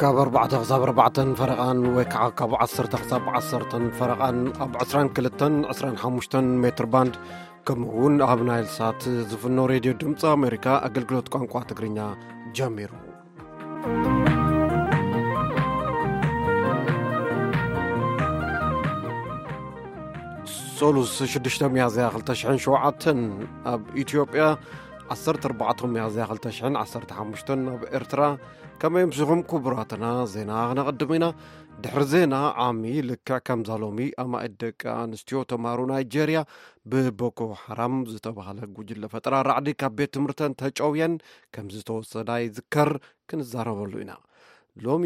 ካብ ኣርባዕተ ክሳብ ኣርባዕተን ፈረቓን ወይ ከዓ ካብ ዓሰርተ ክሳብ ዓሰርተን ፈረቓን ኣብ ዕስራን ክልተን ዕስራን ሓሙሽተን ሜትር ባንድ፣ ከምኡ እውን ኣብ ናይል ሳት ዝፍኖ ሬድዮ ድምፂ ኣሜሪካ ኣገልግሎት ቋንቋ ትግርኛ ጀሚሩ። ሶሉስ ሽዱሽተ ሚያዝያ ክልተ ሽሕን ሸውዓተን ኣብ ኢትዮጵያ፣ ዓሰርተ ኣርባዕተ ሚያዝያ ክልተ ሽሕን ዓሰርተ ሓሙሽተን ኣብ ኤርትራ። ከመይ ኣምሲኹም ክቡራትና? ዜና ክነቐድም ኢና። ድሕሪ ዜና ዓሚ፣ ልክዕ ከምዛ ሎሚ ኣማኢት ደቂ ኣንስትዮ ተምሃሮ ናይጄርያ ብቦኮ ሓራም ዝተባህለ ጉጅለ ፈጠራ ራዕዲ ካብ ቤት ትምህርተን ተጨውየን ከም ዝተወሰዳ ይዝከር። ክንዛረበሉ ኢና። ሎሚ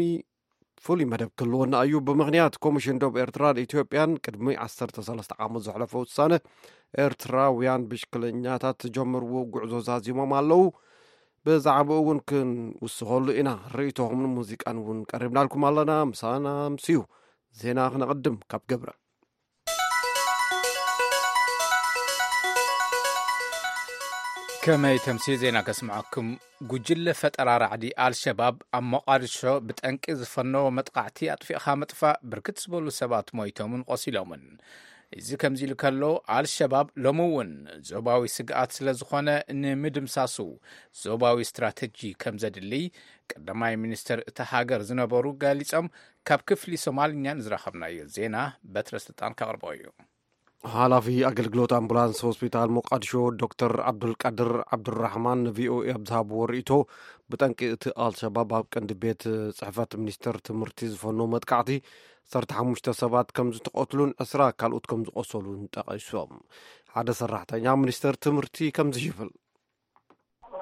ፍሉይ መደብ ክህልወና እዩ። ብምኽንያት ኮሚሽን ዶብ ኤርትራን ኢትዮጵያን ቅድሚ ዓሰርተ ሰለስተ ዓመት ዘሕለፈ ውሳነ፣ ኤርትራውያን ብሽክለኛታት ዝጀመርዎ ጉዕዞ ዛዚሞም ኣለዉ። ብዛዕባኡ እውን ክንውስኸሉ ኢና። ርእይቶኹምን ሙዚቃን እውን ቀሪብናልኩም ኣለና። ምሳና ኣምስዩ። ዜና ክነቐድም ካብ ገብረ። ከመይ ተምሲ ዜና ከስምዐኩም። ጉጅለ ፈጠራ ራዕዲ ኣልሸባብ ኣብ ሞቓዲሾ ብጠንቂ ዝፈነዎ መጥቃዕቲ ኣጥፊእኻ ምጥፋእ ብርክት ዝበሉ ሰባት ሞይቶምን ቆሲሎምን። እዚ ከምዚ ኢሉ ከሎ፣ ኣልሸባብ ሎሚ እውን ዞባዊ ስግኣት ስለ ዝኾነ ንምድምሳሱ ዞባዊ ስትራተጂ ከም ዘድሊ ቀዳማይ ሚኒስትር እታ ሃገር ዝነበሩ ገሊጾም። ካብ ክፍሊ ሶማልኛ ንዝረኸብናዮ ዜና በትረ ስልጣን ከቕርቦ እዩ። ሓላፊ ኣገልግሎት ኣምቡላንስ ሆስፒታል ሞቃዲሾ ዶክተር ዓብዱልቃድር ዓብዱራሕማን ንቪኦኤ ኣብ ዝሃብዎ ርእይቶ፣ ብጠንቂ እቲ ኣልሸባብ ኣብ ቀንዲ ቤት ጽሕፈት ሚኒስተር ትምህርቲ ዝፈኖ መጥቃዕቲ ዓሰርተ ሓሙሽተ ሰባት ከም ዝተቐትሉን ዕስራ ካልኦት ከም ዝቆሰሉን ጠቒሶም። ሓደ ሰራሕተኛ ሚኒስተር ትምህርቲ ከምዚ ይብል።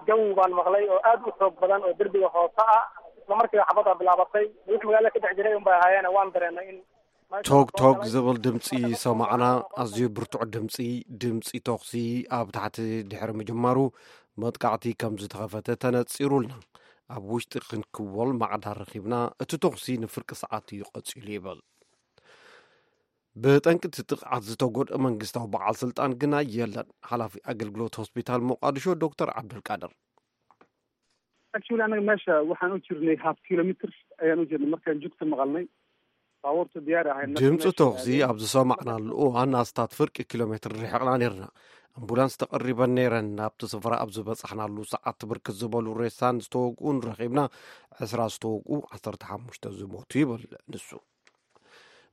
Jawi baan maqlay oo aad u xoog badan oo derbiga hoose ah. Isla markiiba xabad aa bilaabatay. Wix magaalada ka dhex jiray unbaa ahaayeen, waan dareennay in meesha ቶግ ቶግ ዝብል ድምፂ ሰማዕና። ኣዝዩ ብርቱዕ ድምፂ፣ ድምፂ ተኹሲ ኣብ ታሕቲ ድሕሪ ምጅማሩ መጥቃዕቲ ከም ዝተኸፈተ ተነፂሩልና። ኣብ ውሽጢ ክንክወል ማዕዳ ረኺብና። እቲ ተኹሲ ንፍርቂ ሰዓት እዩ ቀፂሉ ይብል። ብጠንቂ እቲ ጥቕዓት ዝተጎድአ መንግስታዊ በዓል ስልጣን ግና የለን። ሓላፊ ኣገልግሎት ሆስፒታል ሞቃዲሾ ዶክተር ዓብዱልቃድር። Actually, anaga meesha waxaan u jirnay half kilometer ayaan u jirnay markaan jugta maqalnay. Baabuurta diyaar ahayn. ድምፂ ተኹሲ ኣብ ዝሰማዕናሉ እዋን ኣስታት ፍርቂ ኪሎ ሜትር ርሒቕና ነርና። ኣምቡላንስ ተቐሪበን ነይረን። ናብቲ ስፍራ ኣብ ዝበፃሕናሉ ሰዓት ብርክት ዝበሉ ሬሳን ዝተወግኡን ረኺብና። ዕስራ ዝተወግኡ፣ ዓሰርተ ሓሙሽተ ዝሞቱ ይብል ንሱ።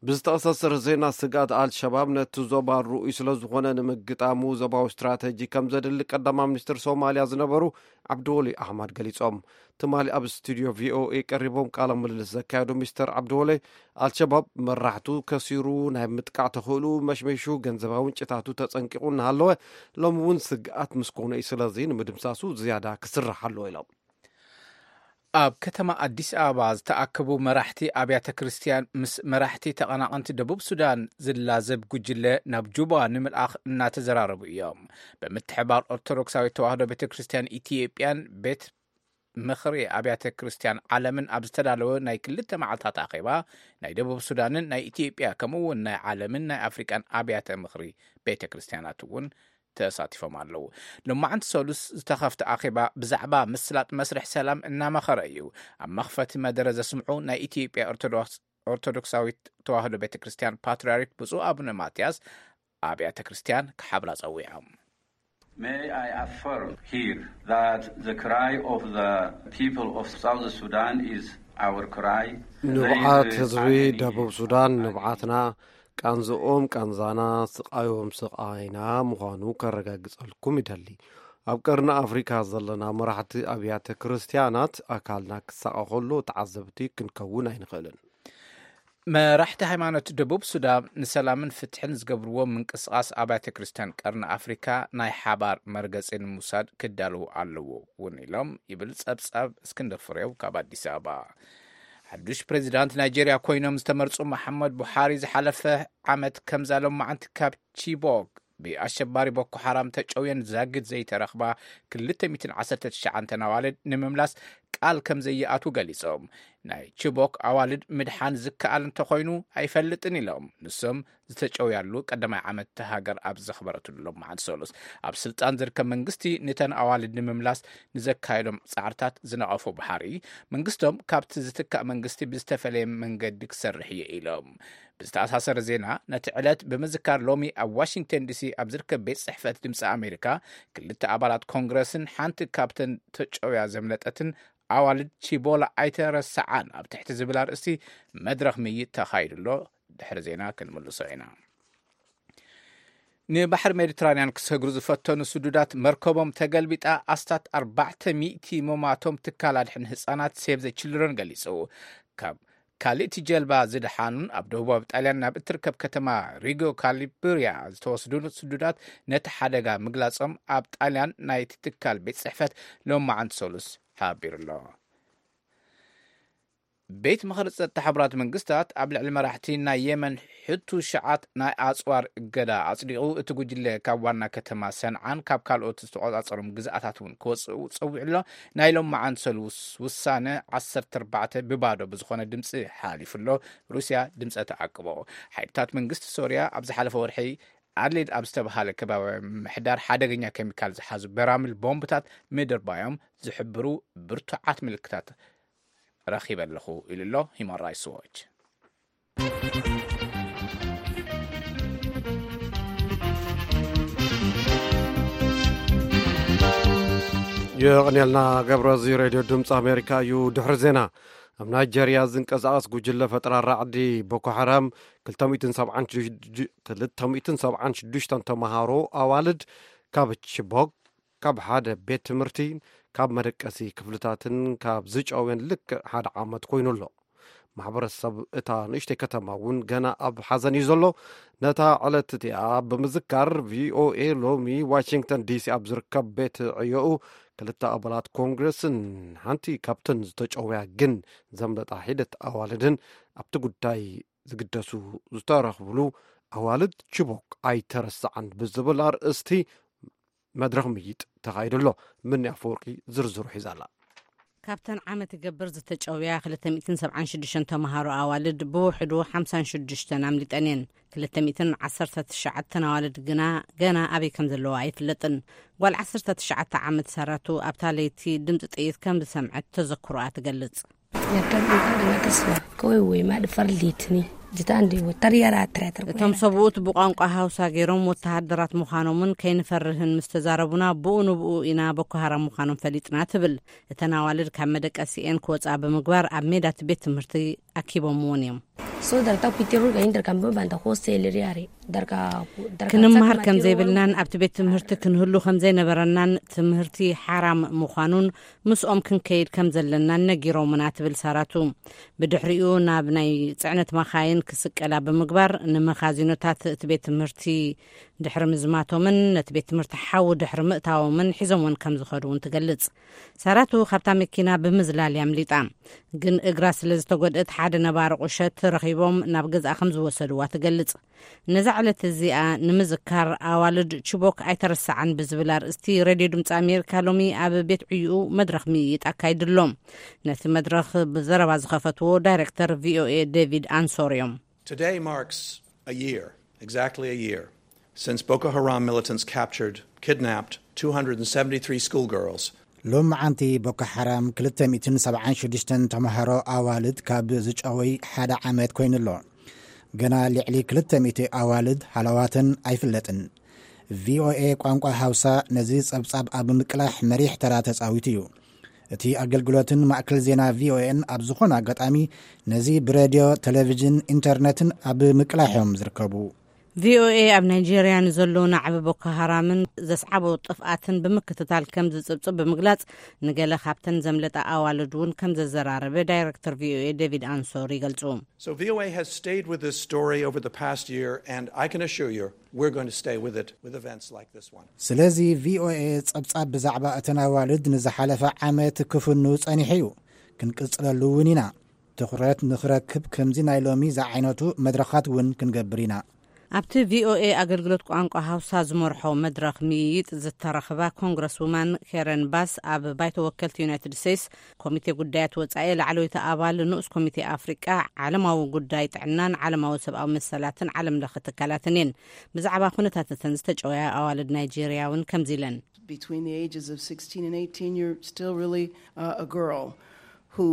ብዝተኣሳሰረ ዜና፣ ስግኣት ኣልሸባብ ነቲ ዞባ ርኡይ ስለ ዝኾነ ንምግጣሙ ዞባዊ ስትራተጂ ከም ዘድሊ ቀዳማይ ሚኒስትር ሶማልያ ዝነበሩ ዓብድወሊ ኣሕመድ ገሊጾም። ትማሊ ኣብ ስቱድዮ ቪኦኤ ቀሪቦም ቃለ ምልልስ ዘካየዱ ሚስተር ዓብድወሊ፣ ኣልሸባብ መራሕቱ ከሲሩ፣ ናይ ምጥቃዕ ተኽእልኡ መሽመሹ፣ ገንዘባዊ ምንጭታቱ ተጸንቂቑ እናሃለወ፣ ሎሚ እውን ስግኣት ምስ ኮነ እዩ፣ ስለዚ ንምድምሳሱ ዝያዳ ክስራሕ ኣለዎ ኢሎም። ኣብ ከተማ ኣዲስ ኣበባ ዝተኣከቡ መራሕቲ ኣብያተ ክርስቲያን ምስ መራሕቲ ተቐናቐንቲ ደቡብ ሱዳን ዝላዘብ ጉጅለ ናብ ጁባ ንምልኣኽ እናተዘራረቡ እዮም። ብምትሕባር ኦርቶዶክሳዊት ተዋህዶ ቤተ ክርስቲያን ኢትዮጵያን ቤት ምኽሪ ኣብያተ ክርስቲያን ዓለምን ኣብ ዝተዳለወ ናይ ክልተ መዓልታት ኣኼባ፣ ናይ ደቡብ ሱዳንን ናይ ኢትዮጵያ ከምኡ እውን ናይ ዓለምን ናይ ኣፍሪቃን ኣብያተ ምኽሪ ቤተ ክርስቲያናት እውን ተሳቲፎም ኣለዉ። ሎማዕንቲ ሰሉስ ዝተኸፍተ ኣኼባ ብዛዕባ ምስላጥ መስርሕ ሰላም እናመኸረ እዩ። ኣብ መኽፈቲ መደረ ዘስምዑ ናይ ኢትዮጵያ ኦርቶዶክስ፣ ኦርቶዶክሳዊት ተዋህዶ ቤተ ክርስቲያን ፓትርያርክ ብፁዕ ኣቡነ ማትያስ ኣብያተ ክርስቲያን ክሓብራ ጸዊዖም። May I affirm here that the cry of the people of South Sudan is our cry. ንብዓት ህዝቢ ደቡብ ሱዳን ንብዓትና፣ ቃንዝኦም ቃንዛና፣ ስቓዮም ስቓይና ምዃኑ ከረጋግጸልኩም ይደሊ። ኣብ ቀርኒ ኣፍሪካ ዘለና መራሕቲ ኣብያተ ክርስቲያናት ኣካልና ክሳቐ ከሎ ተዓዘብቲ ክንከውን ኣይንኽእልን። መራሕቲ ሃይማኖት ደቡብ ሱዳን ንሰላምን ፍትሕን ዝገብርዎ ምንቅስቓስ ኣብያተ ክርስቲያን ቀርኒ ኣፍሪካ ናይ ሓባር መርገፂ ንምውሳድ ክዳለዉ ኣለዎ እውን ኢሎም ይብል ጸብጻብ እስክንድር ፍሬው ካብ ኣዲስ ኣበባ። ሓዱሽ ፕሬዚዳንት ናይጄርያ ኮይኖም ዝተመርጹ መሓመድ ቡሓሪ ዝሓለፈ ዓመት ከምዛ ሎማዓንቲ ካብ ቺቦክ ብኣሸባሪ ቦኮ ሓራም ተጨውየን ዛግድ ዘይተረኽባ ክልተ ሚእትን ዓሰርተ ትሽዓተ ኣዋልድ ንምምላስ ቃል ከም ዘይኣትዉ ገሊጾም። ናይ ቺቦክ ኣዋልድ ምድሓን ዝከኣል እንተኾይኑ ኣይፈልጥን ኢሎም። ንሶም ዝተጨውያሉ ቀዳማይ ዓመት እታ ሃገር ኣብ ዘኽበረትሉ ሎማዓንቲ ሰሉስ፣ ኣብ ስልጣን ዝርከብ መንግስቲ ነተን ኣዋልድ ንምምላስ ንዘካየዶም ጻዕርታት ዝነቐፉ ባሕሪ፣ መንግስቶም ካብቲ ዝትካእ መንግስቲ ብዝተፈለየ መንገዲ ክሰርሕ እየ ኢሎም። ብዝተኣሳሰረ ዜና፣ ነቲ ዕለት ብምዝካር ሎሚ ኣብ ዋሽንግተን ዲሲ ኣብ ዝርከብ ቤት ጽሕፈት ድምፂ ኣሜሪካ ክልተ ኣባላት ኮንግረስን ሓንቲ ካብተን ተጨውያ ዘምለጠትን ኣዋልድ ቺቦላ ኣይተረስዓን ኣብ ትሕቲ ዝብል ኣርእስቲ መድረኽ ምይይጥ ተኻይዱ ኣሎ። ድሕሪ ዜና ክንምልሶ ኢና። ንባሕሪ ሜዲትራንያን ክሰግሩ ዝፈተኑ ስዱዳት መርከቦም ተገልቢጣ ኣስታት ኣርባዕተ ሚእቲ መማቶም ትካል ኣድሕን ህጻናት ሴቭ ዘ ችልድረን ገሊጹ። ካብ ካልእቲ ጀልባ ዝደሓኑን ኣብ ደቡባዊ ጣልያን ናብ እትርከብ ከተማ ሪጎ ካሊብሪያ ዝተወስዱን ስዱዳት ነቲ ሓደጋ ምግላጾም ኣብ ጣልያን ናይቲ ትካል ቤት ጽሕፈት ሎማዓንቲ ሰሉስ ሓቢሩ ኣሎ። ቤት ምኽሪ ጸጥታ ሕቡራት መንግስታት ኣብ ልዕሊ መራሕቲ ናይ የመን ሕቱ ሸዓት ናይ ኣጽዋር እገዳ ኣጽዲቑ፣ እቲ ጉጅለ ካብ ዋና ከተማ ሰንዓን ካብ ካልኦት ዝተቖጻጸሮም ግዝኣታት እውን ክወጽኡ ጸዊዑ ኣሎ። ናይ ሎማዓንቲ ሰሉስ ውሳነ ዓሰርተ ኣርባዕተ ብባዶ ብዝኾነ ድምፂ ሓሊፉ ኣሎ። ሩስያ ድምፀ ተዓቅቦ። ሓይልታት መንግስቲ ሶርያ ኣብ ዝሓለፈ ወርሒ ኣድሌድ ኣብ ዝተባሃለ ከባቢ ምሕዳር ሓደገኛ ኬሚካል ዝሓዙ በራምል ቦምብታት ምድርባዮም ዝሕብሩ ብርቱዓት ምልክታት ረኺበ ኣለኹ ኢሉ ኣሎ ሂማን ራይትስ ዎች። የቐንየልና ገብረ፣ እዚ ሬድዮ ድምፂ ኣሜሪካ እዩ። ድሕሪ ዜና፣ ኣብ ናይጀርያ ዝንቀሳቐስ ጉጅለ ፈጠራ ራዕዲ ቦኮ ሓራም ክልተ ሚእትን ሰብዓን ሽዱሽተ፣ ክልተ ሚእትን ሰብዓን ሽዱሽተ ተምሃሮ ኣዋልድ ካብ ቺቦክ፣ ካብ ሓደ ቤት ትምህርቲ፣ ካብ መደቀሲ ክፍልታትን ካብ ዝጨውየን ልክዕ ሓደ ዓመት ኮይኑ ኣሎ። ማሕበረሰብ እታ ንእሽተይ ከተማ እውን ገና ኣብ ሓዘን እዩ ዘሎ። ነታ ዕለት እቲኣ ብምዝካር፣ ቪኦኤ ሎሚ ዋሽንግተን ዲሲ ኣብ ዝርከብ ቤት ዕዮኡ ክልተ ኣባላት ኮንግረስን ሓንቲ ካብተን ዝተጨውያ ግን ዘምለጣ ሒደት ኣዋልድን ኣብቲ ጉዳይ ዝግደሱ ዝተረኽብሉ ኣዋልድ ቺቦክ ኣይተረስዓን ብዝብል ኣርእስቲ መድረኽ ምይይጥ ተኻይዱ ኣሎ። ምኒ ኣፈወርቂ ዝርዝሩ ሒዛ ኣላ። ካብተን ዓመት ይገብር ዝተጨውያ ክልተ ሚእትን ሰብዓን ሽዱሽተ ተምሃሮ ኣዋልድ ብውሕዱ ሓምሳን ሽዱሽተን ኣምሊጠን እየን። ክልተ ሚእትን ዓሰርተ ትሽዓተን ኣዋልድ ግና ገና ኣበይ ከም ዘለዋ ኣይፍለጥን። ጓል ዓሰርተ ትሽዓተ ዓመት ሰራቱ ኣብታ ለይቲ ድምፂ ጥይት ከም ዝሰምዐት ተዘክሮኣ ትገልጽ። Nyakka dhuunfaa nama tasuma kawai wai ma dhufar litini jitaan da wata yara tara tara እቶም ሰብኡት ብቋንቋ ሃውሳ ገይሮም ወተሃደራት ምዃኖምን ከይንፈርህን ምስ ተዛረቡና ብኡ ንብኡ ኢና ቦኮ ሃራም ምዃኖም ፈሊጥና ትብል። እተን ኣዋልድ ካብ መደቀሲኤን ክወፃ ብምግባር ኣብ ሜዳ እቲ ቤት ትምህርቲ ኣኪቦምዎን እዮም። So darta kuitiru ga indar kan banta hostel riare darka darka ክንመሃር ከም ዘይብልናን ኣብቲ ቤት ትምህርቲ ክንህሉ ከም ዘይነበረናን ትምህርቲ ሓራም ምዃኑን ምስኦም ክንከይድ ከም ዘለናን ነጊሮምና ትብል ሳራቱ። ብድሕሪኡ ናብ ናይ ጽዕነት መኻይን ክስቀላ ብምግባር ንመኻዚኖታት እቲ ቤት ትምህርቲ ድሕሪ ምዝማቶምን ነቲ ቤት ትምህርቲ ሓዊ ድሕሪ ምእታዎምን ሒዞምወን ከም ዝኸዱ እውን ትገልጽ። ሳራቱ ካብታ መኪና ብምዝላል እያ ኣምሊጣ። ግን እግራ ስለ ዝተጎድአት ሓደ ነባሪ ቁሸት ረኺቦም ናብ ገዝኣ ከም ዝወሰድዋ ትገልጽ። ነዛ ዕለት እዚኣ ንምዝካር ኣዋልድ ቺቦክ ኣይተረስዓን ብዝብል ኣርእስቲ ሬድዮ ድምፂ ኣሜሪካ ሎሚ ኣብ ቤት ዕዩኡ መድረኽ ምይይጥ ኣካይዱ ኣሎ። ነቲ መድረኽ ብዘረባ ዝኸፈትዎ ዳይሬክተር ቪኦኤ ዴቪድ ኣንሶር እዮም። Today marks a year, exactly a year, since Boko Haram militants captured, kidnapped two hundred seventy-three schoolgirls. ሎማዓንቲ ቦኮ ሓራም ክልተ ሚእትን ሰብዓን ሽዱሽተን ተምሃሮ ኣዋልድ ካብ ዝጨወይ ሓደ ዓመት ኮይኑ ኣሎ። ገና ልዕሊ ክልተ ሚእቲ ኣዋልድ ሃለዋተን ኣይፍለጥን። ቪኦኤ ቋንቋ ሃውሳ ነዚ ጸብጻብ ኣብ ምቅላሕ መሪሕ ተራ ተጻዊቱ እዩ። እቲ ኣገልግሎትን ማእከል ዜና ቪኦኤን ኣብ ዝኾነ ኣጋጣሚ ነዚ ብሬድዮ፣ ቴሌቪዥን፣ ኢንተርነትን ኣብ ምቅላሕ እዮም ዝርከቡ። ቪኦኤ ኣብ ናይጄርያ ንዘሎ ናዕቢ ቦኮ ሃራምን ዘስዓቦ ጥፍኣትን ብምክትታል ከም ዝጽብጽብ ብምግላጽ፣ ንገለ ካብተን ዘምለጣ ኣዋልድ እውን ከም ዘዘራረበ ዳይረክተር ቪኦኤ ዴቪድ ኣንሶር ይገልጹ። So VOA has stayed with this story over the past year, and I can assure you we're going to stay with it with events like this one. ስለዚ ቪኦኤ ጸብጻብ ብዛዕባ እተን ኣዋልድ ንዝሓለፈ ዓመት ክፍኑ ጸኒሑ እዩ። ክንቅጽለሉ እውን ኢና። ትኹረት ንኽረክብ ከምዚ ናይ ሎሚ ዝዓይነቱ መድረኻት እውን ክንገብር ኢና። ኣብቲ ቪኦኤ ኣገልግሎት ቋንቋ ሃውሳ ዝመርሖ መድረኽ ምይይጥ ዝተረኽባ ኮንግረስ ውማን ኬረን ባስ፣ ኣብ ባይቶ ወከልቲ ዩናይትድ ስቴትስ ኮሚቴ ጉዳያት ወጻኢ ላዕለወይቲ ኣባል ንኡስ ኮሚቴ ኣፍሪቃ፣ ዓለማዊ ጉዳይ ጥዕናን ዓለማዊ ሰብኣዊ መሰላትን ዓለም ለኸ ትካላትን እየን። ብዛዕባ ኩነታት እተን ዝተጨወያ ኣዋልድ ናይጄርያ እውን ከምዚ ኢለን። Between the ages of sixteen and eighteen, you're still really uh, a girl who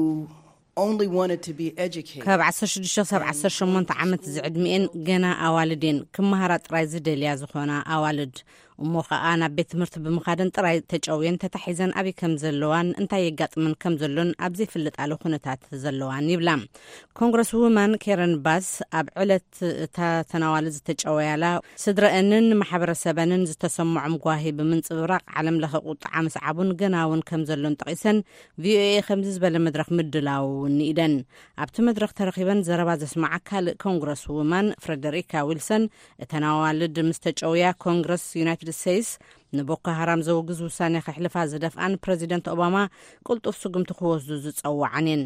only wanted to be educated. ካብ ዓሰርተ ሽዱሽተ ክሳብ ዓሰርተ ሸሞንተ ዓመት ዝዕድሚኤን ገና ኣዋልድ እየን። ክመሃራ ጥራይ ዝደልያ ዝኾና ኣዋልድ፣ እሞ ኸኣ ናብ ቤት ትምህርቲ ብምኻደን ጥራይ ተጨውየን ተታሒዘን ኣበይ ከም ዘለዋን እንታይ የጋጥመን ከም ዘሎን ኣብ ዘይፍለጣሉ ኩነታት ዘለዋን ይብላ። ኮንግረስ ውማን ኬረን ባስ ኣብ ዕለት እታ ተናዋሊ ዝተጨወያላ፣ ስድረአንን ማሕበረሰበንን ዝተሰምዖም ጓሂ ብምንጽብራቕ ዓለም ለኸ ቁጥዓ ምስዓቡን ገና እውን ከም ዘሎን ጠቒሰን፣ ቪኦኤ ከምዚ ዝበለ መድረኽ ምድላው እውን ንኢደን። ኣብቲ መድረኽ ተረኺበን ዘረባ ዘስማዓ ካልእ ኮንግረስ ውማን ፍረደሪካ ዊልሰን፣ እተን ኣዋልድ ምስ ተጨውያ ኮንግረስ ዩናይትድ ስቴትስ ንቦኮ ሃራም ዘውግዝ ውሳኔ ከሕልፋ ዝደፍኣን ፕረዚደንት ኦባማ ቅልጡፍ ስጉምቲ ክወስዱ ዝጸውዓን እየን።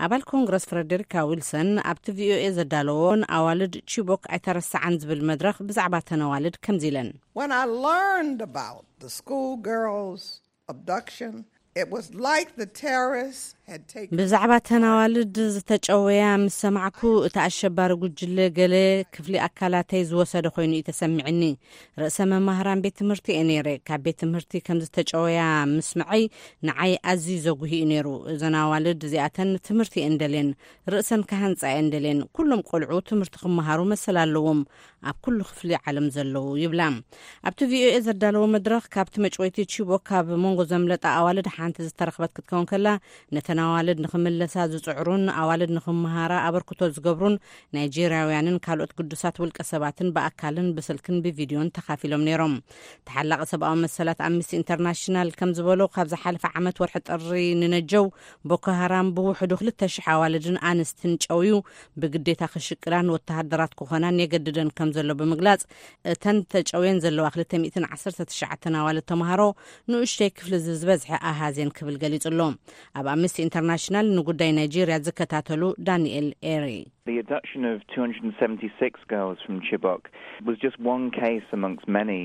ኣባል ኮንግረስ ፍረደሪካ ዊልሰን ኣብቲ ቪኦኤ ዘዳለዎን ኣዋልድ ቺቦክ ኣይተረስዓን ዝብል መድረኽ ብዛዕባ ተን ኣዋልድ ከምዚ ኢለን። When I learned about the schoolgirls' abduction, it was like the terrorists had taken ብዛዕባ ተን ኣዋልድ ዝተጨወያ ምስ ሰማዕኩ፣ እቲ ኣሸባሪ ጉጅለ ገለ ክፍሊ ኣካላተይ ዝወሰደ ኮይኑ እዩ ተሰሚዕኒ። ርእሰ መማህራን ቤት ትምህርቲ እየ ነይረ። ካብ ቤት ትምህርቲ ከም ዝተጨወያ ምስምዐይ ንዓይ ኣዝዩ ዘጉሂ እዩ ነይሩ። እዘን ኣዋልድ እዚኣተን ትምህርቲ እየን ደልየን፣ ርእሰን ክሃንጻ እየን ደልየን። ኩሎም ቆልዑ ትምህርቲ ክመሃሩ መሰል ኣለዎም፣ ኣብ ኩሉ ክፍሊ ዓለም ዘለዉ ይብላ። ኣብቲ ቪኦኤ ዘዳለዎ መድረኽ፣ ካብቲ መጭወይቲ ቺቦክ ካብ መንጎ ዘምለጣ ኣዋልድ ሓንቲ ዝተረኽበት ክትከውን ከላ፣ ነተን ኣዋልድ ንኽምለሳ ዝጽዕሩን ኣዋልድ ንኽመሃራ ኣበርክቶ ዝገብሩን ናይጄርያውያንን ካልኦት ግዱሳት ውልቀ ሰባትን ብኣካልን ብስልክን ብቪድዮን ተኻፊሎም ነይሮም። ተሓላቒ ሰብኣዊ መሰላት ኣምነስቲ ኢንተርናሽናል ከም ዝበሎ፣ ካብ ዝሓለፈ ዓመት ወርሒ ጥሪ ንነጀው፣ ቦኮ ሃራም ብውሕዱ ክልተ ሽሕ ኣዋልድን ኣንስትን ጨውዩ ብግዴታ ክሽቅላን ወተሃደራት ክኾናን የገድደን ከም ዘሎ ብምግላጽ፣ እተን ተጨውየን ዘለዋ ክልተ ሚእትን ዓሰርተ ትሽዓተን ኣዋልድ ተምሃሮ ንኡሽተይ ክፍሊ ዝበዝሐ ኣሃዝ እየን ክብል ገሊጹ ኣሎ። ኣብ ኣምነስቲ ኢንተርናሽናል ንጉዳይ ናይጄርያ ዝከታተሉ ዳንኤል ኤሪ። The abduction of two hundred and seventy-six girls from Chibok was just one case amongst many.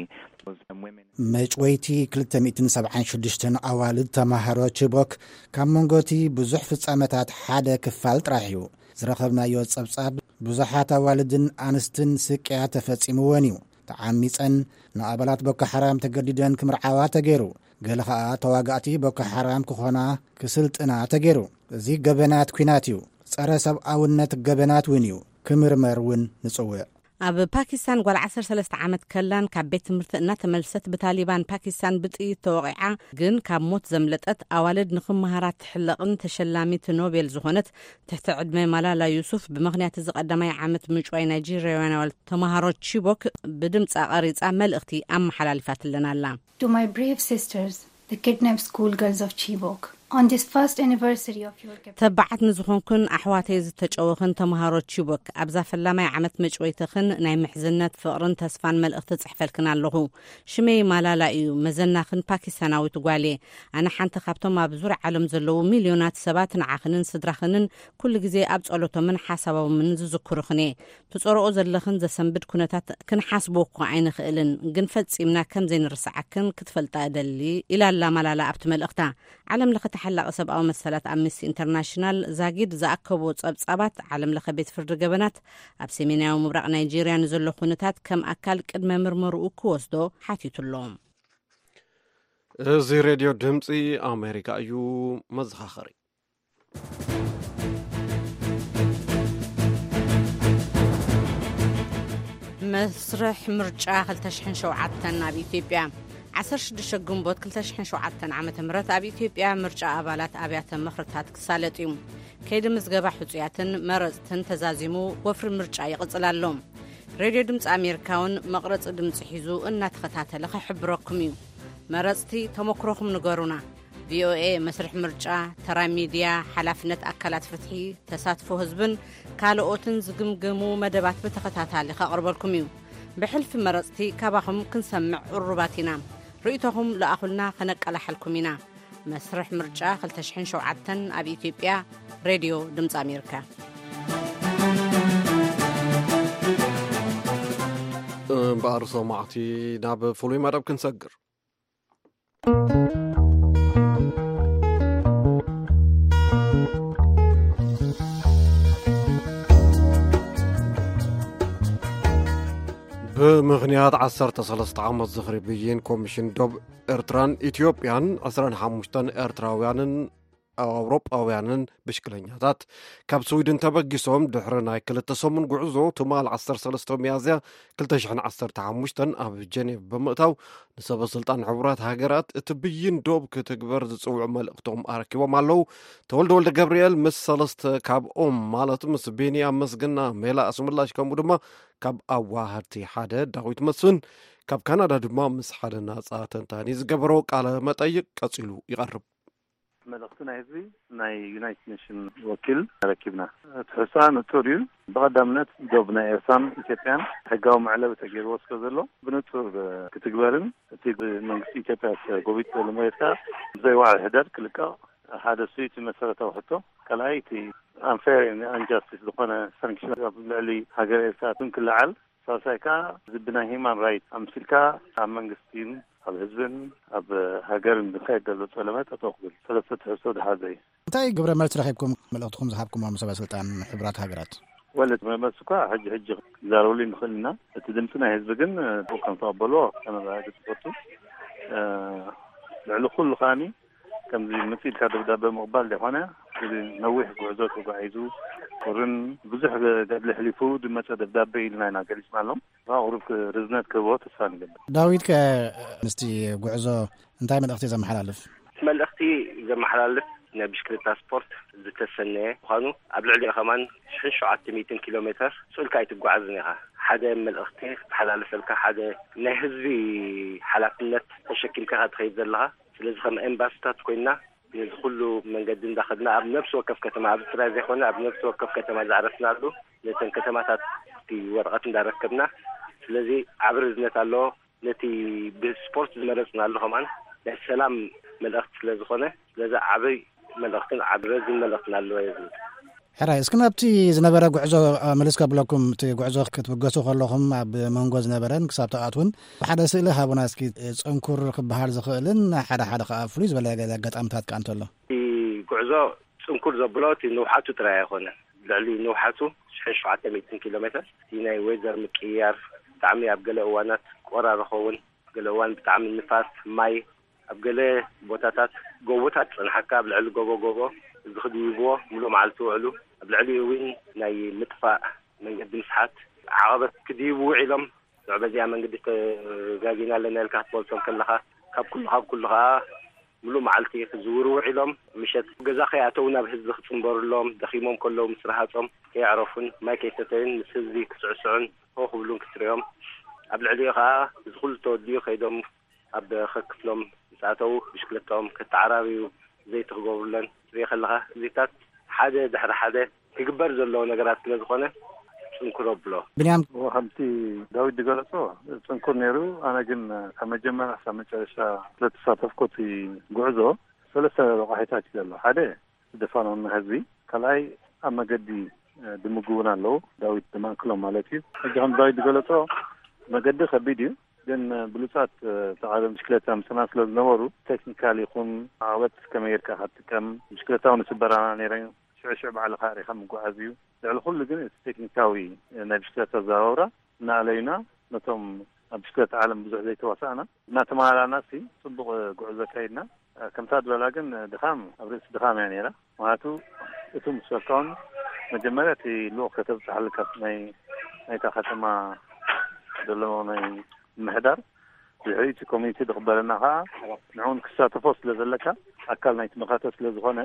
Was, um, women. መጭወይቲ ክልተ ሚእትን ሰብዓን ሽዱሽተን ኣዋልድ ተማሃሮ ቺቦክ ካብ መንጎቲ ብዙሕ ፍጻመታት ሓደ ክፋል ጥራሕ እዩ። ዝረኸብናዮ ጸብጻብ፣ ብዙሓት ኣዋልድን ኣንስትን ስቅያ ተፈጺምወን እዩ። ተዓሚጸን፣ ንኣባላት ቦኮ ሓራም ተገዲደን ክምርዓዋ ተገይሩ። ገለ ኸኣ ተዋጋእቲ ቦኮ ሓራም ክኾና ክስልጥና ተገይሩ። እዚ ገበናት ኲናት እዩ። ጸረ ሰብኣውነት ገበናት እውን እዩ። ክምርመር እውን ንጽውዕ። ኣብ ፓኪስታን ጓል ዓሰርተ ሰለስተ ዓመት ከላን ካብ ቤት ትምህርቲ እናተመልሰት ብታሊባን ፓኪስታን ብጥይት ተወቒዓ፣ ግን ካብ ሞት ዘምለጠት ኣዋልድ ንኽመሃራ ትሕለቕን ተሸላሚት ኖቤል ዝኾነት ትሕቲ ዕድመ ማላላ ዩሱፍ፣ ብምኽንያት እዚ ቀዳማይ ዓመት ምጭዋይ ናይጄርያውያን ኣዋልድ ተምሃሮ ቺቦክ ብድምጻ ቀሪጻ መልእኽቲ ኣመሓላሊፋትለን ኣላ። To my brave sisters, the kidnapped schoolgirls of Chibok, on this first anniversary of your captivity. ተባዓት ንዝኾንኩን ኣሕዋተይ ዝተጨወኽን ተምሃሮ ቺቦክ፣ ኣብዛ ፈላማይ ዓመት መጭወይትኽን ናይ ምሕዝነት ፍቕርን ተስፋን መልእኽቲ ጽሕፈልክን ኣለኹ። ሽመይ ማላላ እዩ፣ መዘናኽን ፓኪስታናዊት ጓል እየ። ኣነ ሓንቲ ካብቶም ኣብ ዙርያ ዓለም ዘለዉ ሚልዮናት ሰባት ንዓኽንን ስድራኽንን ኩሉ ግዜ ኣብ ጸሎቶምን ሓሳቦምን ዝዝክሩኽን እየ። ትጸርኦ ዘለኽን ዘሰንብድ ኩነታት ክንሓስቦ እኳ ኣይንኽእልን፣ ግን ፈጺምና ከም ዘይንርስዓክን ክትፈልጣ እደሊ፣ ኢላ ኣላ ማላላ ኣብቲ መልእኽታ። ዓለም ለኸ ተሓላቒ ሰብኣዊ መሰላት ኣምነስቲ ኢንተርናሽናል ዛጊድ ዝኣከቦ ጸብጻባት፣ ዓለም ለኸ ቤት ፍርዲ ገበናት ኣብ ሰሜናዊ ምብራቕ ናይጄርያ ንዘሎ ኩነታት ከም ኣካል ቅድመ ምርመርኡ ክወስዶ ሓቲቱ ኣሎ። እዚ ሬድዮ ድምፂ ኣሜሪካ እዩ። መዘኻኸሪ። መስርሕ ምርጫ ክልተ ሽሕን ሸውዓተን ኣብ ኢትዮጵያ። ዓሰርተ ሽዱሽተ ግንቦት ክልተ ሽሕን ሸውዓተን ዓመተ ምህረት ኣብ ኢትዮጵያ ምርጫ ኣባላት ኣብያተ ምኽርታት ክሳለጥ እዩ። ከይዲ ምዝገባ ሕጹያትን መረጽትን ተዛዚሙ፣ ወፍሪ ምርጫ ይቕጽል ኣሎ። ሬድዮ ድምፂ ኣሜሪካ እውን መቕረጺ ድምፂ ሒዙ እናተኸታተለ ክሕብረኩም እዩ። መረጽቲ፣ ተመክሮኹም ንገሩና። ቪኦኤ መስርሕ ምርጫ፣ ተራ ሚድያ፣ ሓላፍነት ኣካላት ፍትሒ፣ ተሳትፎ ህዝብን ካልኦትን ዝግምግሙ መደባት ብተኸታታሊ ከቕርበልኩም እዩ። ብሕልፊ መረጽቲ ካባኹም ክንሰምዕ ቅሩባት ኢና። ርእይቶኹም ለኣኹልና፣ ከነቀላሓልኩም ኢና። መስርሕ ምርጫ ክልተ ሽሕን ሸውዓተን ኣብ ኢትዮጵያ፣ ሬድዮ ድምፂ ኣሜሪካ። ክባር ሰማዕቲ፣ ናብ ፍሉይ መደብ ክንሰግር። ብምኽንያት ዓሰርተ ሰለስተ ዓመት ዝኽሪ ብይን ኮሚሽን ዶብ ኤርትራን ኢትዮጵያን ዕስራን ሓሙሽተን ኤርትራውያንን ኣውሮጳውያንን ብሽክለኛታት ካብ ስዊድን ተበጊሶም ድሕሪ ናይ ክልተ ሰሙን ጉዕዞ ትማል ዓሰርተ ሰለስተ ሚያዝያ ክልተ ሽሕን ዓሰርተ ሓሙሽተን ኣብ ጀኔቭ ብምእታው ንሰበ ስልጣን ሕቡራት ሃገራት እቲ ብይን ዶብ ክትግበር ዝጽውዑ መልእኽቶም ኣረኪቦም ኣለዉ። ተወልደ ወልደ ገብርኤል ምስ ሰለስተ ካብኦም ማለት ምስ ቢንያም መስግና፣ ሜላ ኣስምላሽ ከምኡ ድማ ካብ ኣዋሃድቲ ሓደ ዳዊት መስፍን፣ ካብ ካናዳ ድማ ምስ ሓደ ናጻ ተንታኒ ዝገበሮ ቃለ መጠይቅ ቀጺሉ ይቐርብ። መልእኽቲ ናይ ህዝቢ ናይ ዩናይትድ ኔሽን ወኪል ረኪብና። ትሕዝቶኣ ንጹር እዩ። ብቐዳምነት ዶብ ናይ ኤርትራን ኢትዮጵያን ሕጋዊ መዕለቢ ተገይርዎ ስለ ዘሎ ብንጹር ክትግበርን እቲ ብመንግስቲ ኢትዮጵያ ተጎቢጡ ዘሎ መሬት ከኣ ብዘይ ዋዕል ሕደር ክልቀቕ ሓደ እሱ እቲ መሰረታዊ ሕቶ። ካልኣይ እቲ unfair and injustice ዝኾነ ሳንክሽን ኣብ ልዕሊ ሃገር ኤርትራ ክለዓል፣ ሳልሳይ ከኣ እዚ ብናይ ሂማን ራይት ኣምሲልካ ኣብ መንግስትን ኣብ ህዝብን ኣብ ሃገርን ዝካየድ ዘሎ ጸለመ ጠጠው ክብል ሰለስተ ትሕዝቶ ዝሓዘ እዩ። እንታይ ግብረ መልሲ ረኺብኩም? መልእኽትኩም ዝሃብኩሞም ሰበ ስልጣን ሕቡራት ሃገራት? ወለት መመስ እኳ ሕጂ ሕጂ ክዛረበሉ ንኽእል ኢና። እቲ ድምፂ ናይ ህዝቢ ግን ብኡ ከም ተቐበልዎ ከነረጋግፅ ይፈቱ። ልዕሊ ኩሉ ከዓኒ ከምዚ መፂልካ ደብዳቤ ምቕባል ዘይኮነ፣ እዚ ነዊሕ ጉዕዞ ተጓዒዙ ቁርን ብዙሕ ገድሊ ሕሊፉ ዝመፀ ደብዳቤ ኢልና ኢና ገሊፅናሎም። ቁሩብ ርዝነት ክህቦ ተስፋ ንገብር። ዳዊት ከ ምስቲ ጉዕዞ እንታይ መልእኽቲ ዘመሓላልፍ? እቲ መልእኽቲ ዘመሓላልፍ ናይ ብሽክለታ ስፖርት ዝተሰነየ ምዃኑ፣ ኣብ ልዕሊኡ ከማን ሽሕን ሸውዓተ ሚእትን ኪሎ ሜትር ስኡልካ ኣይትጓዓዝን ኢኻ። ሓደ መልእኽቲ ክተሓላልፈልካ፣ ሓደ ናይ ህዝቢ ሓላፍነት ተሸኪምካ ኢኻ ትኸይድ ዘለኻ። ስለዚ ከም ኤምባስታት ኮይና ነዚ ኩሉ መንገዲ እንዳኸድና ኣብ ነፍሲ ወከፍ ከተማ፣ ኣብዚ ጥራይ ዘይኮነ ኣብ ነፍሲ ወከፍ ከተማ ዝዓረፍናሉ ነተን ከተማታት እቲ ወረቐት እንዳረከብና፣ ስለዚ ዓቢ ርዝነት ኣለዎ። ነቲ ብስፖርት ዝመረጽናሉ ከማን ናይ ሰላም መልእኽቲ ስለ ዝኾነ፣ ስለዚ ዓቢ መልእኽትን ዓቢ ረዚን መልእኽትን ኣለዎ እየ ዝብል። ሕራይ፣ እስኪ ናብቲ ዝነበረ ጉዕዞ፣ እ፣ ምልስ ከብለኩም። እቲ ጉዕዞ ክትብገሱ ከለኹም ኣብ መንጎ ዝነበረን ክሳብ ትኣትውን ብሓደ ስእሊ ሃቡና እስኪ። እ፣ ጽንኩር ክበሃል ዝኽእልን ሓደ ሓደ ከኣ ፍሉይ ዝበለ ገለ ኣጋጣምታት ከኣ እንተሎ። እቲ ጉዕዞ ጽንኩር ዘብሎ እቲ ንውሓቱ ጥራይ ኣይኮነን። ልዕሊ ንውሓቱ ሽሕን ሸውዓተ ሚእትን ኪሎ ሜትር እቲ ናይ ወይዘር ምቅይያር ብጣዕሚ ኣብ ገለ እዋናት ቆራሪ ኸውን፣ ገለ እዋን ብጣዕሚ ንፋስ፣ ማይ፣ ኣብ ገለ ቦታታት ጎቦታት ጸንሓካ፣ ኣብ ልዕሊ ጎቦ ጎቦ እዚ ክድይብዎ ምሉእ መዓልቲ ውዕሉ፣ ኣብ ልዕሊኡ እውን ናይ ምጥፋእ መንገዲ ምስሓት፣ ዓቐበት ክድይቡ ውዒሎም፣ ንዕ በዚኣ መንገዲ ተጋጊና ኣለና ኢልካ ክትመልሶም ከለኻ፣ ካብ ኩሉ ካብ ኩሉ ኸኣ ምሉእ መዓልቲ ክዝውሩ ውዒሎም፣ ምሸት ገዛ ከይኣተዉ ናብ ህዝቢ ክጽንበሩሎም፣ ደኺሞም ከለዉ ምስ ረሃጾም ከየዕረፉን ማይ ከይሰተዩን ምስ ህዝቢ ክስዕስዑን ሆ ክብሉን ክትርእዮም፣ ኣብ ልዕሊኡ ኸኣ እዚ ኩሉ ተወዲኡ ከይዶም ኣብ ከክፍሎም ምስ ኣተዉ ብሽክለታኦም ከተዓራርዩ ዘይቲ ክገብሩለን ትርኢ ከለኻ፣ እዚታት ሓደ ድሕሪ ሓደ ክግበር ዘለዎ ነገራት ስለ ዝኾነ ጽንኩር ኣብሎ። ብንያም። እዎ፣ ከምቲ ዳዊት ዝገለጾ ጽንኩር ነይሩ። ኣነ ግን ካብ መጀመርያ ክሳብ መጨረሻ ስለ ተሳተፍኩ እቲ ጉዕዞ ሰለስተ ረቋሒታት እዩ ዘሎ። ሓደ፣ ዝደፋኖና ህዝቢ፣ ካልኣይ ኣብ መገዲ፣ እ፣ ድምግቡና ኣለዉ፣ ዳዊት ዝማእክሎም ማለት እዩ። ሕጂ ከም ዳዊት ዝገለጾ መገዲ ከቢድ እዩ፣ ግን፣ እ፣ ብሉጻት፣ እ፣ ተቓደም ብሽክለታ ምስና ስለ ዝነበሩ ቴክኒካል ይኹን ዓቐበት ከመይ ጌርካ ክትጥቀም፣ ብሽክለታ እውን ይስበራና ነይረን፣ ሽዑ ሽዑ ባዕልኻ ርኢኻ ምጉዓዝ እዩ። ልዕሊ ኩሉ ግን እቲ ቴክኒካዊ፣ እ፣ ናይ ብሽክለታ ኣዘዋውራ እናኣለዩና ነቶም ኣብ ብሽክለታ ዓለም ብዙሕ ዘይተዋሳእና እናተመሃላና ሲ ጽቡቕ ጉዕዞ ኣካይድና። ከምታ ዝበላ ግን ድኻም ኣብ ርእሲ ድኻም እያ ነይራ። ምኽንያቱ እቲ ምስ በልካውን መጀመርያ እቲ ልኡኽ ከተብጽሓሉ ካብ ናይ ናይታ ከተማ ዘሎ ናይ ምምሕዳር፣ ድሕሪ እቲ ኮሚኒቲ ዝቕበለና ኸዓ ንዕኡን ክሳተፎ ስለ ዘለካ ኣካል ናይቲ መኸተ ስለ ዝኾነ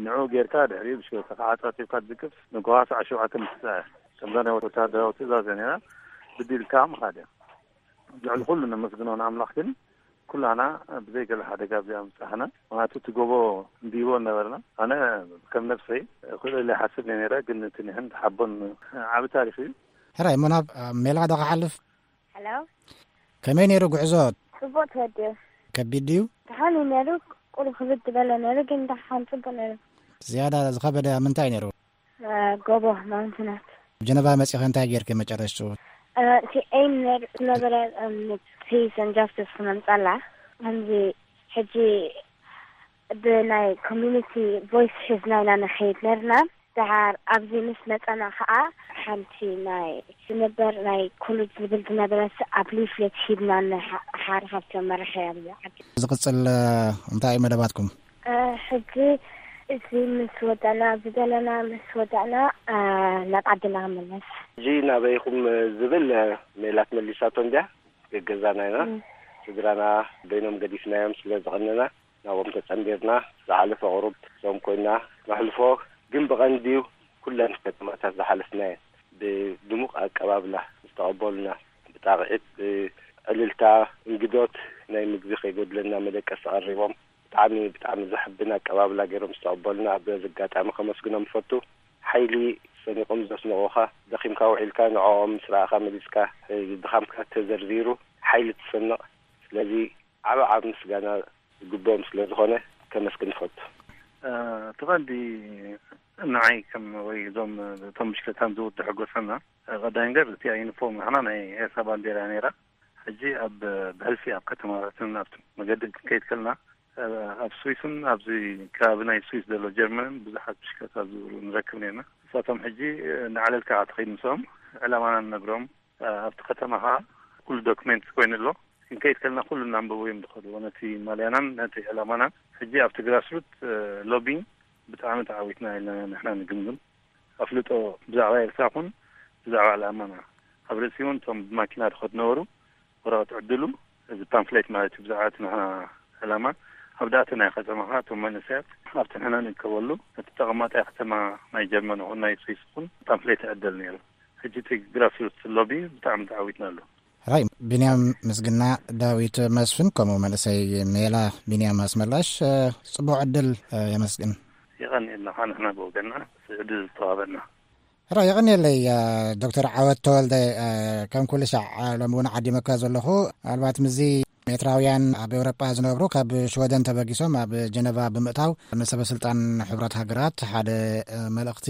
ንዕኡ ጌርካ ድሕሪኡ ብሽክለታኻ ዓጻጺብካ ትዝቅፍ ንጎሃ ሰዓት ሸውዓተ ምትጻእ እያ። ከምዛ ናይ ወታደራዊ ትእዛዝ እያ ነይራ። ብድልካ ምኻድ እያ። ልዕሊ ኩሉ ነመስግኖ ንኣምላኽ ግን ኩላና ብዘይ ገለ ሓደጋ ኣብዚኣ ምብጻሕና። ምኽንያቱ እቲ ጎቦ እንድይቦ ነበርና። ኣነ ከም ነብሰይ ክልእል ይሓስብ እየ ነይረ፣ ግን እቲ ንሕን ተሓቦን ዓቢ ታሪኽ እዩ። ሕራይ፣ እሞ ናብ ሜላ ዶ ክሓልፍ? ሄሎ። ከመይ ነይሩ ጉዕዞ? ጽቡቕ ተወዲኡ። ከቢድ ድዩ? ደሓን እዩ ነይሩ፣ ቁሩብ ክብድ ዝበለ ነይሩ፣ ግን ደሓን ጽቡቕ ነይሩ። ዝያዳ ዝኸበደ ኣብ ምንታይ ነይሩ? እ፣ ጎቦ፣ ማውንትናት። ጀነቫ መጺኸ እንታይ ጌርኪ መጨረሽትኡ? እቲ ኤም ዝነበረ ፒስ ን ጃስቲስ ክመምፃላ ከምዚ ሕጂ ብናይ ኮሚኒቲ ቮይስ ሒዝና ኢና ንኸይድ ነርና። ድሓር ኣብዚ ምስ መፀና ከዓ ሓንቲ ናይ ዝነበር ናይ ኮሌጅ ዝብል ዝነበረት ኣብ ሊፍሌት ሂብና ንሓር ካብቶም መራሕያ ዓዲ። ዝቕፅል እንታይ እዩ መደባትኩም? ሕጂ እዚ ምስ ወዳእና ኣብዚ ዘለና ምስ ወዳእና ናብ ዓድና ክምለስ። ሕጂ ናበይኹም ዝብል ሜላት መሊሳቶ እንድያ። ገገዛና ኢና። ስድራና በይኖም ገዲፍናዮም ስለ ዝቐነና ናብኦም ተጸንቢርና ዝሓለፈ ቁሩብ ዞም ኮይና ነሕልፎ። ግን ብቐንድዩ ኩለን ከተማታት ዝሓለፍናየን ብድሙቕ ኣቀባብላ ዝተቐበሉና፣ ብጣቕዒት፣ ብዕልልታ፣ እንግዶት፣ ናይ ምግቢ ከይጎድለና መደቀሲ ቀሪቦም ብጣዕሚ ብጣዕሚ ዘሕብን ኣቀባብላ ገይሮም ዝተቐበሉና ኣብ በዚ ኣጋጣሚ ከመስግኖም እፈቱ። ሓይሊ ሰኒቖም ዘስንቑኻ፣ ደኺምካ ውዒልካ ንዕኦም ምስ ረኣኻ መሊስካ ድኻምካ ተዘርዚሩ ሓይሊ ትሰንቕ። ስለዚ ዓቢ ዓቢ ምስጋና ዝግብኦም ስለ ዝኾነ ከመስግን እፈቱ። እቲ ቀንዲ ንዓይ ከም ወይ እዞም እቶም ብሽክለታን ዝውድሑ ጎሰና ቀዳይ ነገር እቲ ዩኒፎርም ንሕና ናይ ኤርትራ ባንዴራ ነይራ። ሕጂ ኣብ ብሕልፊ ኣብ ከተማታትን ኣብቲ መገዲ ክንከይድ ከልና ኣብ ስዊስን ኣብዚ ከባቢ ናይ ስዊስ ዘሎ ጀርመንን ብዙሓት ብሽክለታ ዝውሩ ንረክብ ነርና። ንሳቶም ሕጂ ንዓለልካ ትኸይድ ምስኦም ዕላማና ንነግሮም ኣብቲ ከተማ ከዓ ኩሉ ዶክሜንት ኮይኑ ኣሎ። ክንከይድ ከልና ኩሉ እናንበቡ እዮም ዝኸዱ ነቲ ማልያናን ነቲ ዕላማናን። ሕጂ ኣብቲ ግራስሩት ሎቢንግ ብጣዕሚ ተዓዊትና ኢልና ንሕና ንግምግም። ኣፍልጦ ብዛዕባ ኤርትራ ኹን ብዛዕባ ዕላማና ኣብ ርእሲ እውን እቶም ብማኪና ድኸዱ ነበሩ ወረቐት ዕድሉ እዚ ፓምፍሌት ማለት እዩ ብዛዕባ እቲ ንሕና ዕላማ ኣብ ዳእቲ ናይ ከተማ ከዓ እቶም መንእሰያት ኣብቲ ንሕና ንእከበሉ ነቲ ተቐማጣይ ከተማ ናይ ጀርመን ኹን ናይ ስዊስ ኹን ፓምፍሌት ይዕደል ነይሩ። ሕጂ እቲ ግራስሩት ሎቢ ብጣዕሚ ተዓዊትናሉ። ራይ ቢንያም ምስግና፣ ዳዊት መስፍን ከምኡ መንእሰይ ሜላ ቢንያም ኣስመላሽ ጽቡቕ ዕድል። የመስግን። የቐንየልና ንሕና ብወገንና ዕድል ዝተዋህበና። ራ የቐንየለይ። ዶክተር ዓወት ተወልደ፣ ከም ኩሉ ሻዕ ሎሚ እውን ዓዲመካ ዘለኹ። ምናልባት ምስዚ ኤርትራውያን ኣብ ኤውሮጳ ዝነብሩ ካብ ሽወደን ተበጊሶም ኣብ ጀነቫ ብምእታው ንሰበ ስልጣን ሕቡራት ሃገራት ሓደ መልእኽቲ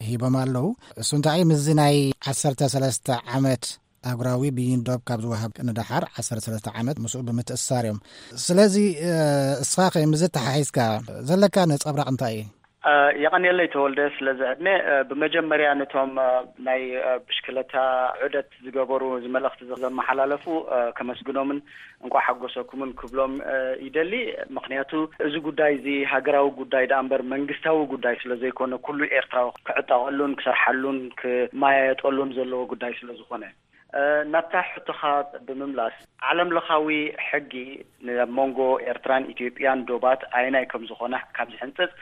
ሂቦም ኣለዉ። እሱ እንታይ ምስዚ ናይ ዓሰርተ ሰለስተ ዓመት ኣህጉራዊ ብይን ዶብ ካብ ዝወሃብ ንደሓር ዓሰርተ ሰለስተ ዓመት ምስኡ ብምትእስሳር እዮም። ስለዚ እስኻ ከ ምስዚ ተሓሒዝካ ዘለካ ነጸብራቕ እንታይ እዩ? የቐንየለይ ተወልደ ስለዚ ዕድመ። ብመጀመርያ ነቶም ናይ ብሽክለታ ዑደት ዝገበሩ እዚ መልእኽቲ ዘመሓላለፉ ከመስግኖምን እንቋዕ ሓጎሰኩምን ክብሎም ይደሊ። ምኽንያቱ እዚ ጉዳይ እዚ ሃገራዊ ጉዳይ ደኣ እምበር መንግስታዊ ጉዳይ ስለ ዘይኮነ ኩሉ ኤርትራዊ ክዕጠቐሉን ክሰርሓሉን ክመያየጠሉን ዘለዎ ጉዳይ ስለ ዝኾነ። ናብታ ሕቶኻ ብምምላስ ዓለም ለኻዊ ሕጊ ኣብ መንጎ ኤርትራን ኢትዮጵያን ዶባት ኣየናይ ከም ዝኾነ ካብ ዝሕንጽጽ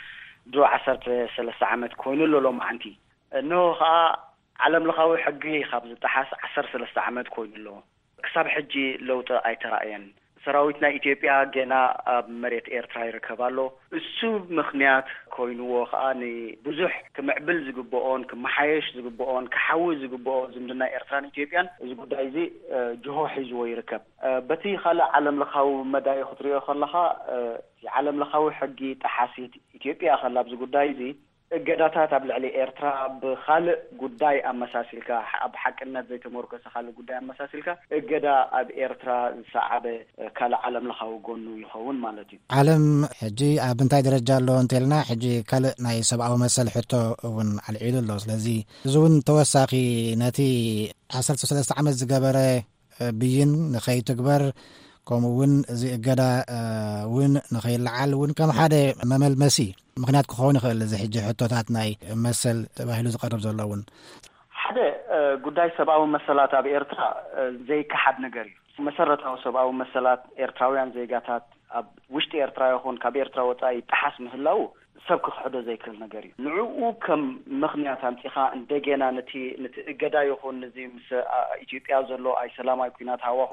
ድሮ ዓሰርተ ሰለስተ ዓመት ኮይኑ ኣሎ ሎማዓንቲ። እንሆ ኸኣ ዓለም ለኻዊ ሕጊ ካብ ዝጠሓስ ዓሰርተ ሰለስተ ዓመት ኮይኑ ኣሎ። ክሳብ ሕጂ ለውጢ ኣይተራእየን። ሰራዊት ናይ ኢትዮጵያ ገና ኣብ መሬት ኤርትራ ይርከብ ኣሎ። እሱ ምኽንያት ኮይንዎ ኸኣ ንብዙሕ ክምዕብል ዝግብኦን ክመሓየሽ ዝግብኦን ክሓዊ ዝግብኦ ዝምድና ኤርትራን ኢትዮጵያን እዚ ጉዳይ እዚ ጅሆ ሒዝዎ ይርከብ። በቲ ካልእ ዓለም ለኻዊ መዳይ ክትሪኦ ከለኻ ዓለም ለኻዊ ሕጊ ጠሓሲት ኢትዮጵያ ከላ ኣብዚ ጉዳይ እዚ እገዳታት ኣብ ልዕሊ ኤርትራ ብኻልእ ጉዳይ ኣመሳሲልካ ኣብ ሓቅነት ዘይተመርኮሰ ካልእ ጉዳይ ኣመሳሲልካ እገዳ ኣብ ኤርትራ ዝሰዓበ ካልእ ዓለም ለኻዊ ጎኑ ይኸውን ማለት እዩ። ዓለም ሕጂ ኣብ እንታይ ደረጃ ኣሎ እንተልና ሕጂ ካልእ ናይ ሰብኣዊ መሰል ሕቶ እውን ኣልዒሉ ኣሎ። ስለዚ እዚ እውን ተወሳኺ ነቲ ዓሰርተ ሰለስተ ዓመት ዝገበረ ብይን ንኸይትግበር ከምኡ እውን እዚ እገዳ እውን ንኸይለዓል እውን ከም ሓደ መመልመሲ ምክንያት ክኸውን ይኽእል። እዚ ሕጂ ሕቶታት ናይ መሰል ተባሂሉ ዝቐርብ ዘሎ እውን ሓደ ጉዳይ ሰብኣዊ መሰላት ኣብ ኤርትራ ዘይከሓድ ነገር እዩ። መሰረታዊ ሰብኣዊ መሰላት ኤርትራውያን ዜጋታት ኣብ ውሽጢ ኤርትራ ይኹን ካብ ኤርትራ ወጻኢ ይጠሓስ ምህላው ሰብ ክኽሕዶ ዘይክእል ነገር እዩ። ንዕኡ ከም ምኽንያት ኣምጺኻ እንደገና ነቲ ነቲ እገዳ ይኹን ነዚ ምስ ኢትዮጵያ ዘሎ ኣይ ሰላማይ ኩናት ሃዋሁ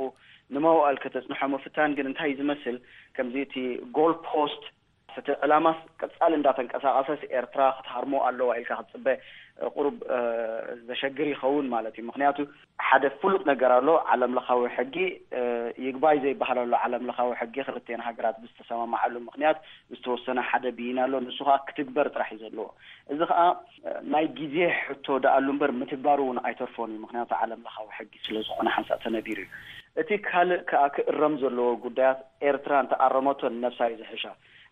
ንመዋእል ከተጽንሖ ምፍታን ግን እንታይ እዩ ዝመስል? ከምዚ እቲ ጎል ፖስት እቲ ዕላማስ ቀጻሊ እንዳተንቀሳቐሰስ ኤርትራ ክትሃርሞ ኣለዋ ኢልካ ክትጽበ፣ እ፣ ቁሩብ፣ እ፣ ዘሸግር ይኸውን ማለት እዩ። ምኽንያቱ ሓደ ፍሉጥ ነገር ኣሎ። ዓለም ለኻዊ ሕጊ፣ እ፣ ይግባይ ዘይበሃል ኣሎ። ዓለም ለኻዊ ሕጊ ክልቴን ሃገራት ብዝተሰማማዓሉ ምኽንያት ዝተወሰነ ሓደ ብይን ኣሎ። ንሱ ኸኣ ክትግበር ጥራሕ እዩ ዘለዎ። እዚ ኸኣ፣ እ፣ ናይ ግዜ ሕቶ ደኣሉ እምበር ምትግባሩ እውን ኣይተርፎን እዩ። ምኽንያቱ ዓለም ለኻዊ ሕጊ ስለ ዝኾነ ሓንሳእ ተነቢሩ እዩ። እቲ ካልእ ከኣ ክእረም ዘለዎ ጉዳያት፣ ኤርትራ እንተኣረመቶ ንነብሳ እዩ ዝሕሻ።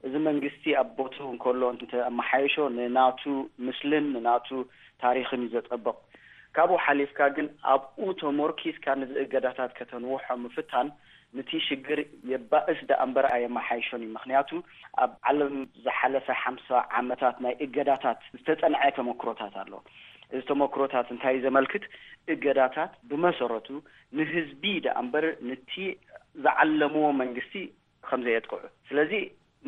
እዚ መንግስቲ ኣብ ቦትኡ እንከሎ እንተኣመሓየሾ ንናቱ ምስልን ንናቱ ታሪኽን እዩ ዘጸብቕ። ካብኡ ሓሊፍካ ግን ኣብኡ ተሞርኪስካ ነዚ እገዳታት ከተንውሖ ምፍታን ንቲ ሽግር የባእስ ደኣ እምበር ኣየመሓይሾን እዩ። ምኽንያቱ ኣብ ዓለም ዝሓለፈ ሓምሳ ዓመታት ናይ እገዳታት ዝተጸንዐ ተመክሮታት ኣሎ። እዚ ተመክሮታት እንታይ እዩ ዘመልክት? እገዳታት ብመሰረቱ ንህዝቢ ደኣ እምበር ንቲ ዝዓለምዎ መንግስቲ ከም ዘየጥቅዑ። ስለዚ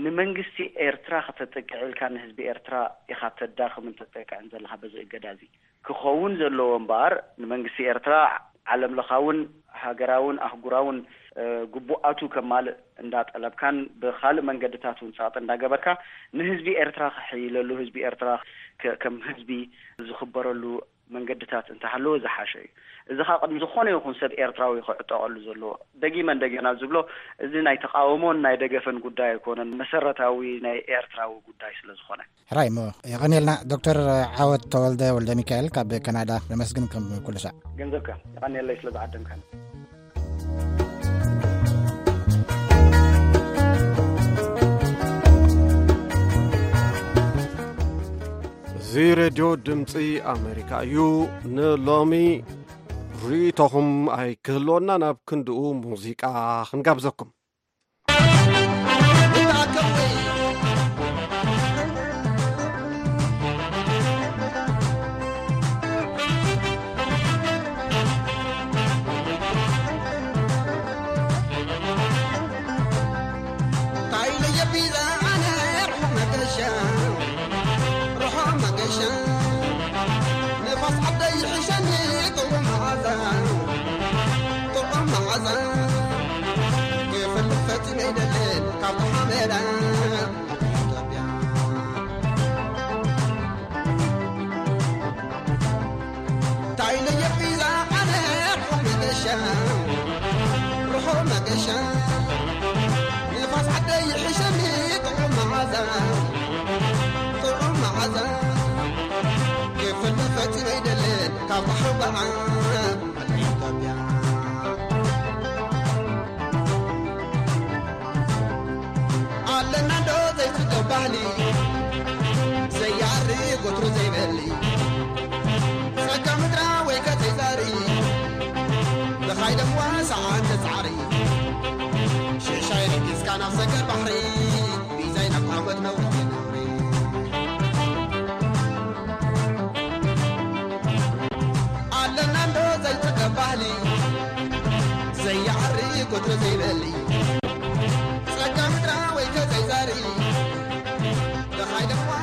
ንመንግስቲ ኤርትራ ከተጥቅዕ ኢልካ ንህዝቢ ኤርትራ ኢኻ ተዳኽምን ተጠቅዕን ዘለኻ በዚ እገዳ እዚ። ክኸውን ዘለዎ እምበኣር ንመንግስቲ ኤርትራ ዓለም ለኻውን ሃገራውን ኣህጉራውን፣ እ፣ ግቡኣቱ ከማልእ እንዳጠለብካን ብኻልእ መንገድታት እውን ጸቕጢ እንዳገበርካ ንህዝቢ ኤርትራ ክሕይለሉ፣ ህዝቢ ኤርትራ ከ-፣ ከም ህዝቢ ዝኽበረሉ መንገድታት እንተሃለወ ዝሓሸ እዩ። እዚ ኸኣ ቅድሚ ዝኾነ ይኹን ሰብ ኤርትራዊ ክዕጠቐሉ ዘለዎ። ደጊመ እንደገና ዝብሎ፣ እዚ ናይ ተቃውሞን ናይ ደገፍን ጉዳይ ኣይኮነን። መሰረታዊ ናይ ኤርትራዊ ጉዳይ ስለ ዝኾነ። ሕራይ እሞ፣ የቐንየልና ዶክተር ዓወት ተወልደ ወልደ ሚካኤል ካብ ካናዳ። ነመስግን ከም ኩሉ ሳዕ። ገንዘብካ፣ የቐንየለይ ስለ ዝዓደምካኒ። እዚ ሬድዮ ድምፂ ኣሜሪካ እዩ። ንሎሚ ርእይቶኹም ኣይክህልወና፣ ናብ ክንድኡ ሙዚቃ ክንጋብዘኩም።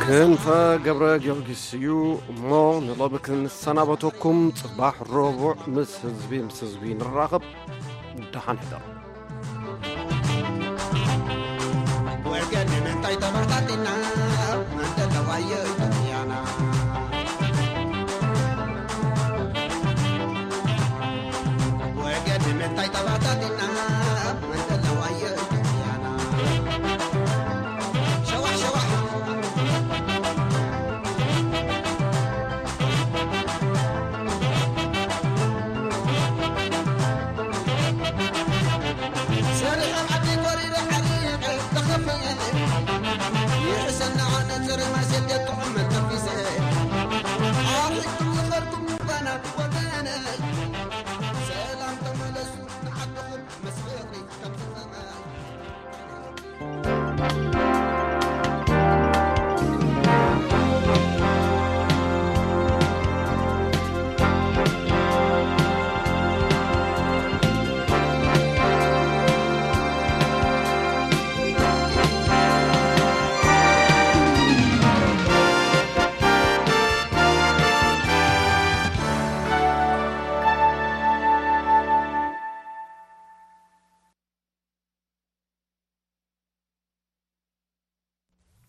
ክንፈ ገብረ ጊዮርጊስ እዩ እሞ ንሎሚ ክንሰናበተኩም፣ ጽባሕ ረቡዕ ምስ ህዝቢ፣ ምስ ህዝቢ ንራኸብ። ደሓን ሕደሩ።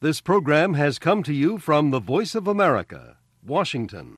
This program has come to you from the Voice of America, Washington.